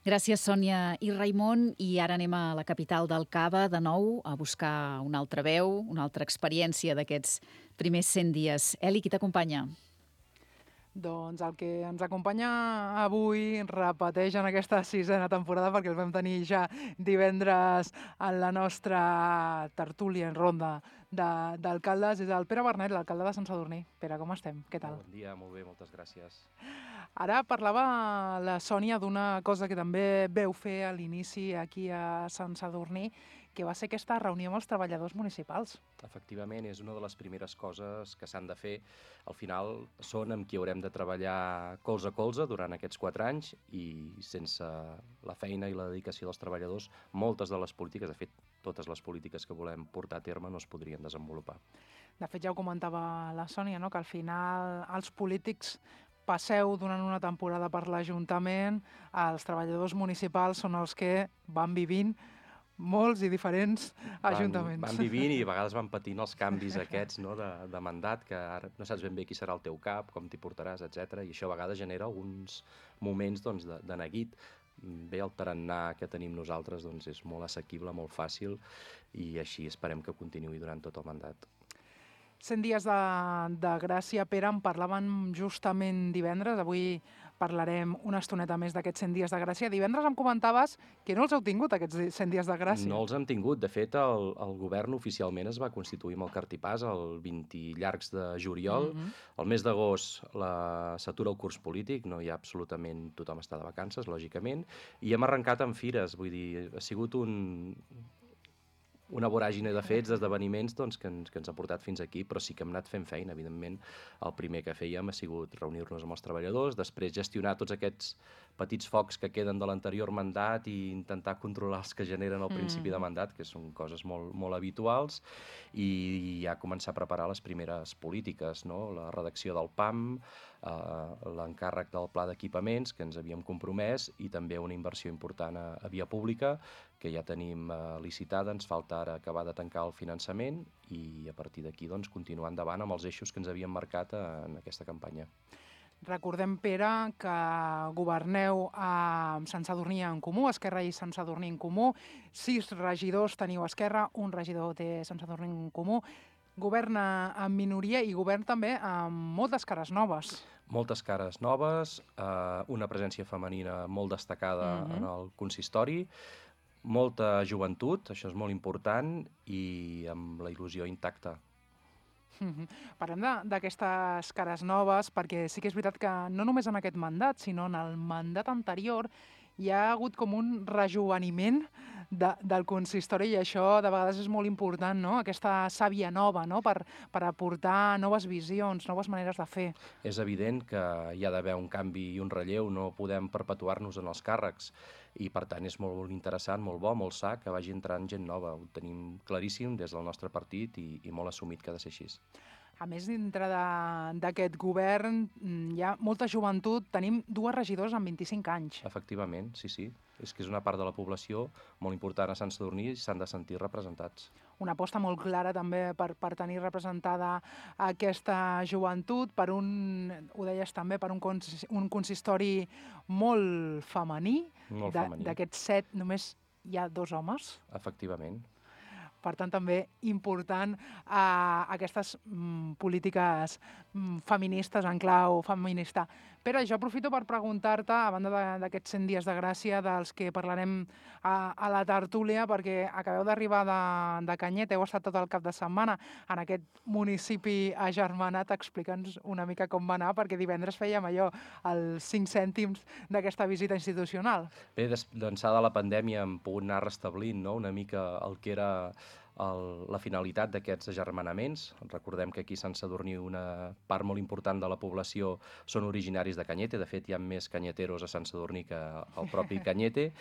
Gràcies, Sònia i Raimon. I ara anem a la capital del Cava, de nou, a buscar una altra veu, una altra experiència d'aquests primers 100 dies. Eli, qui t'acompanya?
Doncs el que ens acompanya avui repeteix en aquesta 6a temporada perquè el vam tenir ja divendres en la nostra tertúlia en ronda d'alcaldes. És el Pere Bernet, l'alcalde de Sant Sadurní. Pere, com estem? Què tal?
Bon dia, molt bé, moltes gràcies.
Ara parlava la Sònia d'una cosa que també veu fer a l'inici aquí a Sant Sadurní, que va ser aquesta reunió amb els treballadors municipals.
Efectivament, és una de les primeres coses que s'han de fer. Al final són amb qui haurem de treballar colze a colze durant aquests 4 anys i sense la feina i la dedicació dels treballadors, moltes de les polítiques, de fet, totes les polítiques que volem portar a terme no es podrien desenvolupar.
De fet, ja ho comentava la Sònia, no? Que al final els polítics passeu durant una temporada per l'Ajuntament, els treballadors municipals són els que van vivint molts i diferents ajuntaments.
Van vivint i a vegades van patint els canvis aquests de mandat, que ara no saps ben bé qui serà el teu cap, com t'hi portaràs, etc. I això a vegades genera alguns moments de neguit. Bé, el tarannà que tenim nosaltres és molt assequible, molt fàcil, i així esperem que continuï durant tot el mandat.
100 dies de gràcia, Pere, en parlàvem justament divendres. Avui parlarem una estoneta més d'aquests 100 dies de gràcia. Divendres em comentaves que no els heu tingut, aquests 100 dies de gràcia.
No els hem tingut. De fet, el govern oficialment es va constituir amb el cartipàs el 20 llargs de juliol. El mes d'agost s'atura el curs polític, no hi ha absolutament... Tothom està de vacances, lògicament, i hem arrencat amb fires. Vull dir, ha sigut una voràgine de fets, d'esdeveniments que ens ha portat fins aquí, però sí que hem anat fent feina, evidentment. El primer que fèiem ha sigut reunir-nos amb els treballadors, després gestionar tots aquests petits focs que queden de l'anterior mandat i intentar controlar els que generen al principi de mandat, que són coses molt, molt habituals, i ja començar a preparar les primeres polítiques, no? La redacció del PAM, l'encàrrec del pla d'equipaments, que ens havíem compromès, i també una inversió important a via pública, que ja tenim licitada, ens falta ara acabar de tancar el finançament i a partir d'aquí continuar endavant amb els eixos que ens havíem marcat en aquesta campanya.
Recordem, Pere, que governeu amb Sant Sadurní en Comú, Esquerra i Sant Sadurní en Comú. 6 regidors teniu Esquerra, un regidor té Sant Sadurní en Comú. Governa en minoria i govern també amb moltes cares noves.
Moltes cares noves, una presència femenina molt destacada en el consistori, molta joventut, això és molt important, i amb la il·lusió intacta.
Parlem d'aquestes cares noves, perquè sí que és veritat que no només en aquest mandat, sinó en el mandat anterior hi ha hagut com un rejoveniment del consistori i això de vegades és molt important, no? Aquesta sàvia nova, no? Per aportar noves visions, noves maneres de fer.
És evident que hi ha d'haver un canvi i un relleu, no podem perpetuar-nos en els càrrecs i per tant és molt interessant, molt bo, molt sa que vagi entrant gent nova. Ho tenim claríssim des del nostre partit i molt assumit que ha de ser així.
A més, dintre d'aquest govern hi ha molta joventut. Tenim 2 regidors amb 25 anys.
Efectivament, sí. És que és una part de la població molt important a Sant Sadurní i s'han de sentir representats.
Una aposta molt clara també per tenir representada aquesta joventut, ho deies també, per un consistori molt femení.
Molt femení.
D'aquests 7 només hi ha 2 homes.
Efectivament.
Per tant, també important aquestes polítiques feministes en clau feminista. Pere, jo aprofito per preguntar-te, a banda d'aquests 100 dies de gràcia dels que parlarem a la tertúlia, perquè acabeu d'arribar de Canyet, heu estat tot el cap de setmana en aquest municipi agermanat. Explica'ns una mica com va anar, perquè divendres fèiem allò, els 5 cèntims d'aquesta visita institucional.
Bé, d'ençà de la pandèmia hem pogut anar restablint, no?, una mica el que era la finalitat d'aquests agermanaments. Recordem que aquí a Sant Sadurní una part molt important de la població són originaris de Cañete. De fet, hi ha més canyeteros a Sant Sadurní que el propi Cañete.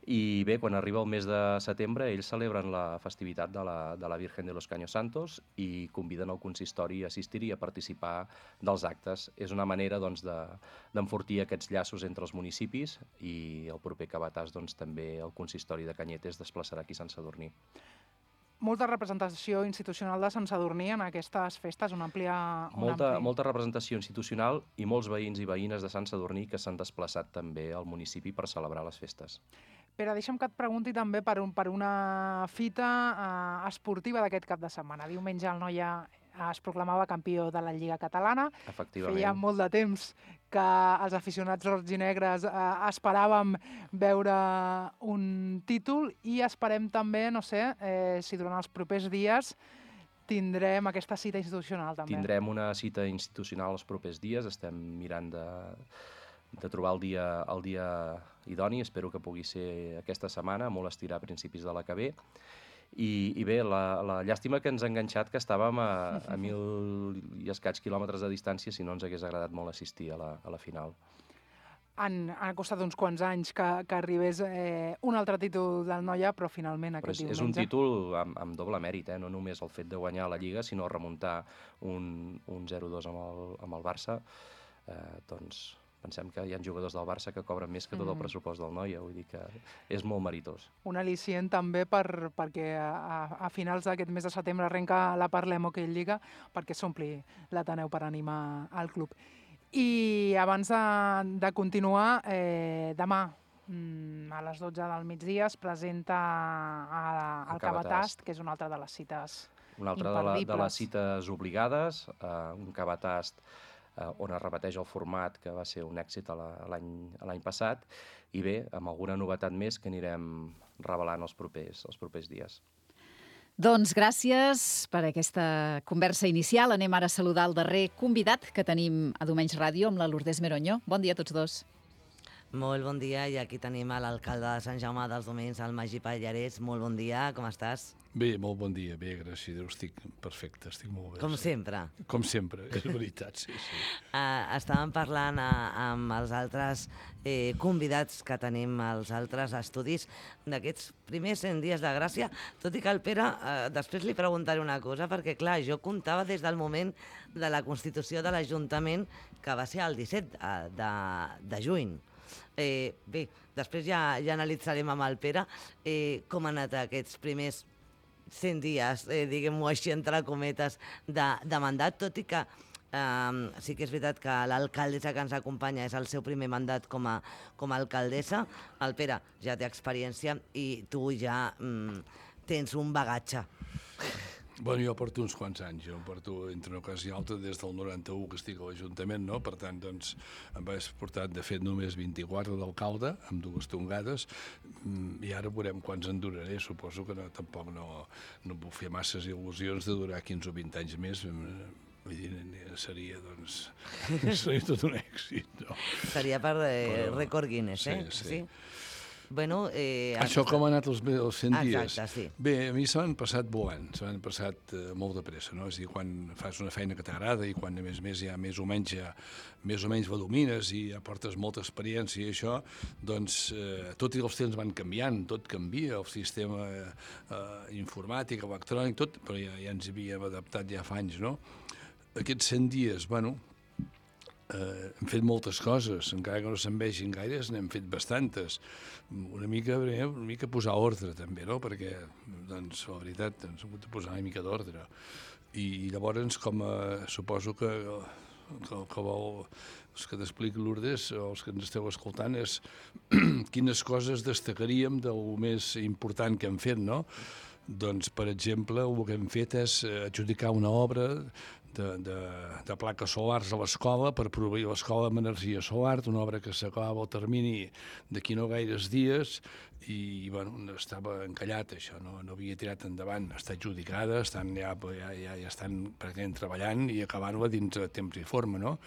I bé, quan arriba el mes de setembre, ells celebren la festivitat de la Virgen de los Caños Santos i conviden el consistori a assistir-hi i a participar dels actes. És una manera d'enfortir aquests llaços entre els municipis i el proper cabàs també el consistori de Cañete es desplaçarà aquí a Sant Sadurní.
Molta representació institucional de Sant Sadurní en aquestes festes,
molta representació institucional i molts veïns i veïnes de Sant Sadurní que s'han desplaçat també al municipi per celebrar les festes.
Pere, deixa'm que et pregunti també per una fita esportiva d'aquest cap de setmana. Diumenge el Noia es proclamava campió de la Lliga Catalana.
Efectivament.
Feia molt de temps que els aficionats roig i negres esperàvem veure un títol i esperem també, no sé, si durant els propers dies tindrem aquesta cita institucional també.
Tindrem una cita institucional els propers dies, estem mirant de trobar el dia idoni, espero que pugui ser aquesta setmana, molt estirar a principis de la que ve. I bé, la llàstima que ens ha enganxat que estàvem a 1.000 i escaig quilòmetres de distància, si no ens hagués agradat molt assistir a la final.
Han costat uns quants anys que arribés un altre títol del Noia, però finalment aquest diumenge...
És un títol amb doble mèrit, no només el fet de guanyar la Lliga, sinó remuntar un 0-2 amb el Barça. Doncs pensem que hi ha jugadors del Barça que cobren més que tot el pressupost del Noia, vull dir que és molt meritós.
Un al·licient també perquè a finals d'aquest mes de setembre arrenca la Parlem Hockey Lliga perquè s'ompli l'Ateneu per animar al club. I abans de continuar, demà a les 12 del migdia es presenta el Cabatast, que és una altra de les cites imperdibles.
Una altra de les cites obligades, un Cabatast on es repeteix el format que va ser un èxit l'any passat i bé, amb alguna novetat més que anirem revelant els propers dies.
Doncs gràcies per aquesta conversa inicial. Anem ara a saludar el darrer convidat que tenim a Domenys Ràdio amb la Lourdes Meroño. Bon dia a tots dos.
Molt bon dia, i aquí tenim l'alcalde de Sant Jaume dels Domenys, el Magí Pallarès. Molt bon dia, com estàs?
Bé, molt bon dia, bé, gràcies a Déu, estic perfecte, estic molt bé.
Com sempre?
Com sempre, és veritat, sí.
Estàvem parlant amb els altres convidats que tenim als altres estudis d'aquests primers 100 dies de gràcia, tot i que el Pere, després li preguntaré una cosa, perquè clar, jo comptava des del moment de la constitució de l'Ajuntament, que va ser el 17 de juny. Bé, després ja analitzarem amb el Pere com han anat aquests primers 100 dies, diguem-ho així, entre cometes, de mandat, tot i que sí que és veritat que l'alcaldessa que ens acompanya és el seu primer mandat com a alcaldessa. El Pere ja té experiència i tu ja tens un bagatge.
Bueno, jo porto uns quants anys, jo porto entre una cosa i altra des del 91 que estic a l'Ajuntament, no? Per tant, doncs, em vaig portar, de fet, només 24 d'alcalde, amb 2 tongades, i ara veurem quants en duraré. Suposo que tampoc no puc fer masses il·lusions de durar 15 o 20 anys més. Vull dir, seria, doncs, seria tot un èxit, no?
Seria per rècord Guinness, eh?
Sí.
Bueno,
això com ha anat els 100 dies?
Exacte, sí.
Bé, a mi se m'han passat volant, se m'han passat molt de pressa, no? És a dir, quan fas una feina que t'agrada i quan, a més ja més o menys la domines i ja portes molta experiència i això, doncs tot i els temps van canviant, tot canvia, el sistema informàtic, electrònic, tot, però ja ens havíem adaptat ja fa anys, no? Aquests 100 dies, bueno, hem fet moltes coses, encara que no se'n vegin gaires, n'hem fet bastantes. Una mica posar ordre, també, no? Perquè, doncs, la veritat, ens hem hagut de posar una mica d'ordre. I llavors, com suposo que els que t'expliqui Lourdes, o els que ens esteu escoltant, és quines coses destacaríem del més important que hem fet, no? Doncs, per exemple, el que hem fet és adjudicar una obra de plaques solars a l'escola per proveir l'escola amb energia solar, una obra que s'acabava al termini d'aquí no gaires dies i bueno, estava encallat això, no havia tirat endavant, està adjudicada, ja estan pràcticament treballant i acabant-la dins de temps i forma, no?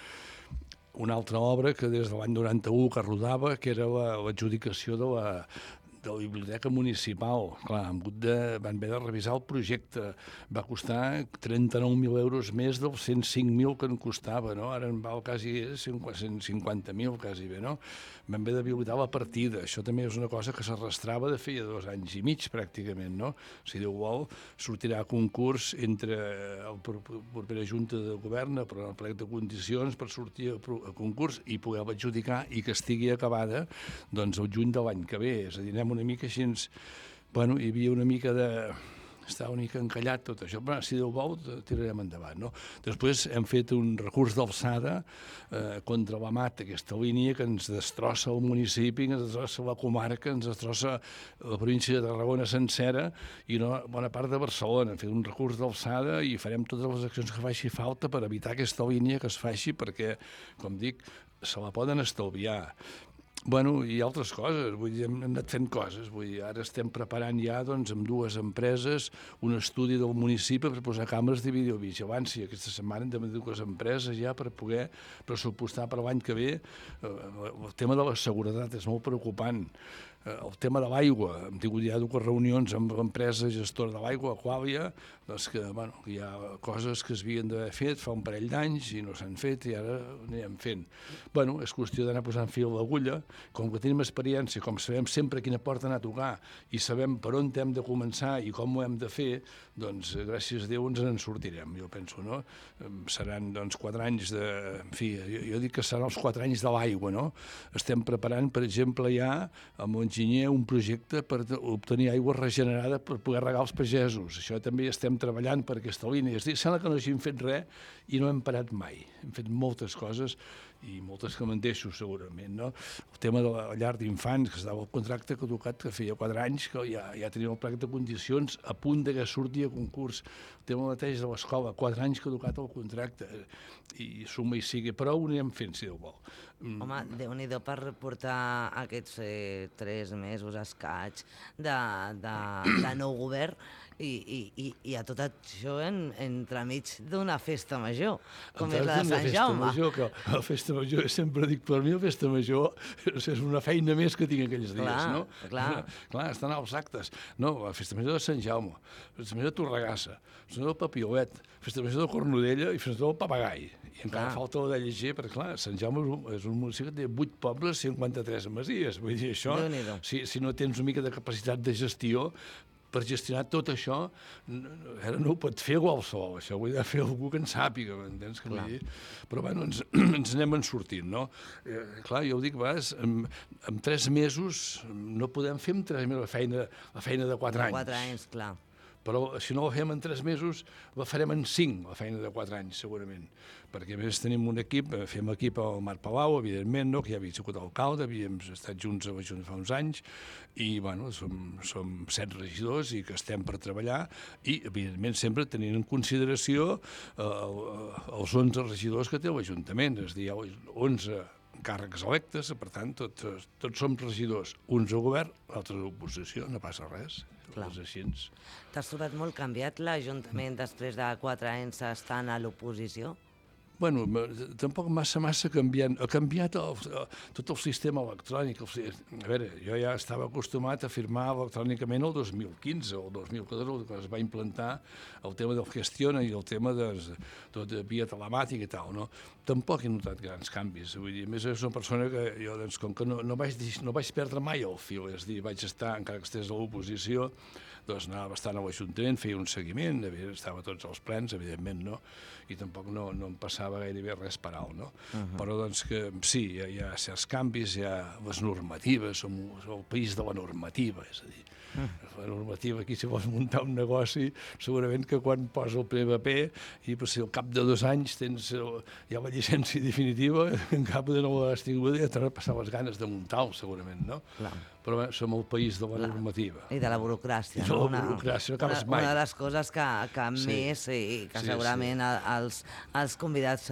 Una altra obra que des de l'any 91 que rodava, que era l'adjudicació de la Biblioteca Municipal. Clar, van haver de revisar el projecte. Va costar 39.000 euros més dels 105.000 que en costava, no? Ara en val quasi 150.000, quasi bé, no? Van haver d'habilitar la partida. Això també és una cosa que s'arrastrava de feia 2 anys i mig, pràcticament, no? Si Déu vol, sortirà a concurs entre la propera Junta de Govern, però en el plec de condicions per sortir a concurs i poder adjudicar i que estigui acabada doncs el juny de l'any que ve. És a dir, anem una mica així, bueno, hi havia una mica estava una mica encallat tot això, però si Déu vol tirarem endavant, no? Després hem fet un recurs d'alçada contra la MAT, aquesta línia que ens destrossa el municipi, que ens destrossa la comarca, ens destrossa la província de Tarragona sencera i una bona part de Barcelona. Hem fet un recurs d'alçada i farem totes les accions que faci falta per evitar aquesta línia que es faci perquè, com dic, se la poden estalviar. Bueno, i altres coses, vull dir, hem anat fent coses, vull dir, ara estem preparant ja, doncs, amb 2 empreses, un estudi del municipi per posar càmeres de videovigilància. Aquesta setmana hem de 2 empreses ja per poder pressupostar per l'any que ve. El tema de la seguretat és molt preocupant. El tema de l'aigua, hem tingut ja 2 reunions amb l'empresa gestora de l'aigua, Aquàlia, doncs que, bueno, hi ha coses que s'havien d'haver fet fa un parell d'anys i no s'han fet i ara ho anirem fent. Bueno, és qüestió d'anar posant fil a l'agulla, com que tenim experiència, com sabem sempre quina porta anar a tocar i sabem per on hem de començar i com ho hem de fer, doncs gràcies a Déu ens en sortirem, jo penso, no? Seran, doncs, 4 anys de... En fi, jo dic que seran els 4 anys de l'aigua, no? Estem preparant, per exemple, ja amb enginyer un projecte per obtenir aigua regenerada per poder regar els pagesos. Això també estem treballant per aquesta línia. És a dir, sembla que no hagin fet res i no hem parat mai. Hem fet moltes coses i moltes que me'n deixo segurament, no? El tema de la llar d'infants, que estava el contracte caducat que feia 4 anys, que ja tenim el plec de condicions a punt de que surti a concurs. El tema mateix de l'escola, 4 anys caducat el contracte, i suma i sigui, però ho anirem fent, si Déu vol.
Home, Déu-n'hi-do per portar aquests 3 mesos escaig de nou govern i a tot això entremig d'una festa major, com és la de Sant Jaume.
La festa major, sempre dic, per mi la festa major és una feina més que tinc aquells dies, no? Clar, estan als actes. No, la festa major de Sant Jaume, la festa major de Torregassa, la festa major del Papiolet, la festa major de Cornudella i la festa major del Papagai. I encara falta la de llegir, perquè clar, Sant Jaume és un municipi que té 8 pobles, 53 masies. Vull dir, això, si no tens una mica de capacitat de gestió, per gestionar tot això, ara no ho pot fer qualsevol, això ho ha de fer algú que en sàpiga, m'entens? Però bueno, ens anem en sortint, no? Clar, jo ho dic, a vegades, en 3 mesos no podem fer en 3 mesos la feina de 4 anys.
4 anys, clar.
Però si no la fem en 3 mesos, la farem en 5, la feina de 4 anys, segurament. Perquè a més tenim un equip, fem equip al Marc Palau, evidentment, no? Que ja havia sigut alcalde, havíem estat junts a l'Ajuntament fa uns anys, i bueno, som 7 regidors i que estem per treballar, i evidentment sempre tenint en consideració els 11 regidors que té l'Ajuntament, és a dir, hi ha 11 càrrecs electes, per tant, tots som regidors, uns al govern, l'altre a l'oposició, no passa res. És així.
T'has trobat molt canviat l'Ajuntament després de 4 anys estant a l'oposició?
Bueno, tampoc massa canviant. Ha canviat tot el sistema electrònic. A veure, jo ja estava acostumat a firmar electrònicament el 2015 o el 2014, quan es va implantar el tema del Gestiona i el tema de tot via telemàtica i tal, no? Tampoc he notat grans canvis. Vull dir, a més, és una persona que jo, doncs, com que no vaig perdre mai el fil, és a dir, vaig estar, encara que estigués a l'oposició, doncs anava bastant a l'Ajuntament, feia un seguiment, estava a tots els plens, evidentment, no? I tampoc no em passava gairebé res per alt, no? Però doncs que sí, hi ha certs canvis, hi ha les normatives, som el país de la normativa, és a dir, la normativa aquí, si vols muntar un negoci, segurament que quan posa el primer paper i si al cap de 2 anys tens ja la llicència definitiva, en cap de no l'has tingut, ja t'haurà passat les ganes de muntar-lo, segurament, no? Però bé, som el país de la normativa.
I de la burocràcia.
I de la burocràcia, no acabes mai.
Una de les coses que més i que segurament els convidats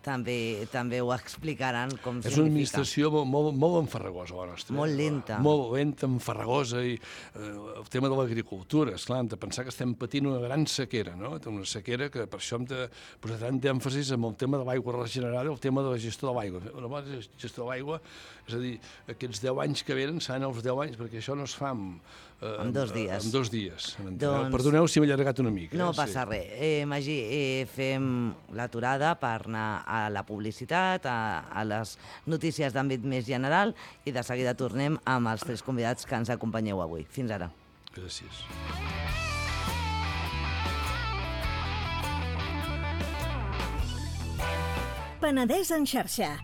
també ho explicaran com significa.
És una administració molt enfarragosa, la nostra.
Molt lenta.
Molt lenta, enfarragosa, i el tema de l'agricultura, esclar, hem de pensar que estem patint una gran sequera, no? Una sequera que per això hem de posar tant d'èmfasis en el tema de l'aigua regenerada i el tema de la gestió de l'aigua. La gestió de l'aigua, és a dir, aquests 10 anys que venen seran els 10 anys, perquè això no es fa
en 2 dies.
En 2 dies. Perdoneu si m'he allargat una mica.
No passa res. Magí, fem l'aturada per anar a la publicitat, a les notícies d'àmbit més general, i de seguida tornem amb els 3 convidats que ens acompanyeu avui. Fins ara.
Gràcies.
Penedès en xarxa,